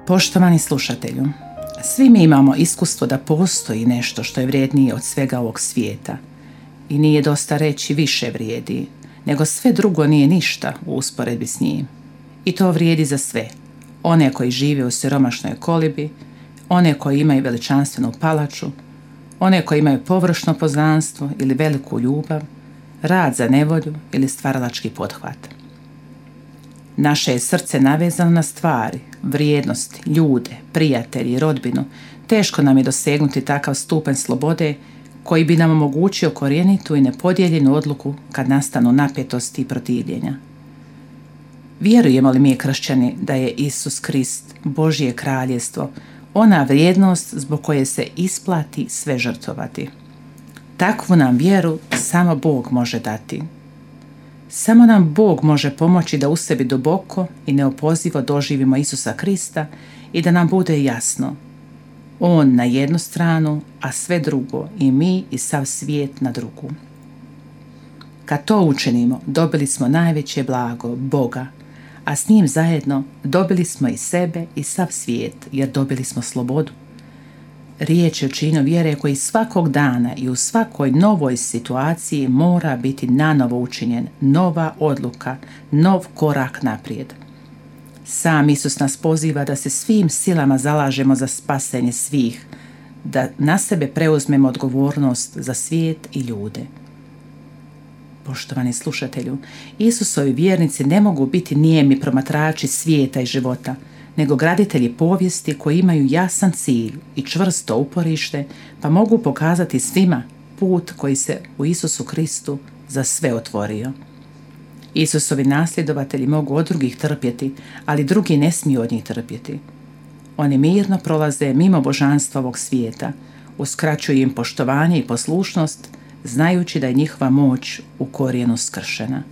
Poštovani slušatelju, svi mi imamo iskustvo da postoji nešto što je vrijednije od svega ovog svijeta i nije dosta reći više vrijedi, nego sve drugo nije ništa u usporedbi s njim. I to vrijedi za sve, one koji žive u siromašnoj kolibi, one koji imaju veličanstvenu palaču, one koji imaju površno poznanstvo ili veliku ljubav, rad za nevolju ili stvaralački pothvat. Naše je srce navezano na stvari, vrijednosti, ljude, prijatelji i rodbinu. Teško nam je dosegnuti takav stupanj slobode koji bi nam omogućio korjenitu i nepodijeljenu odluku kad nastanu napetosti i protivljenja. Vjerujemo li mi kršćani da je Isus Krist, Božje kraljevstvo, ona vrijednost zbog koje se isplati sve žrtvovati? Takvu nam vjeru samo Bog može dati. Samo nam Bog može pomoći da u sebi duboko i neopozivo doživimo Isusa Krista i da nam bude jasno. On na jednu stranu, a sve drugo, i mi i sav svijet na drugu. Kad to učinimo, dobili smo najveće blago, Boga, a s njim zajedno dobili smo i sebe i sav svijet, jer dobili smo slobodu. Riječ je o činu vjere koji svakog dana i u svakoj novoj situaciji mora biti nanovo učinjen, nova odluka, nov korak naprijed. Sam Isus nas poziva da se svim silama zalažemo za spasenje svih, da na sebe preuzmemo odgovornost za svijet i ljude. Poštovani slušatelju, Isusovi vjernici ne mogu biti nijemi promatrači svijeta i života, nego graditelji povijesti koji imaju jasan cilj i čvrsto uporište, pa mogu pokazati svima put koji se u Isusu Kristu za sve otvorio. Isusovi nasljedovatelji mogu od drugih trpjeti, ali drugi ne smiju od njih trpjeti. Oni mirno prolaze mimo božanstva ovog svijeta, uskraćuju im poštovanje i poslušnost, znajući da je njihova moć u korijenu skršena.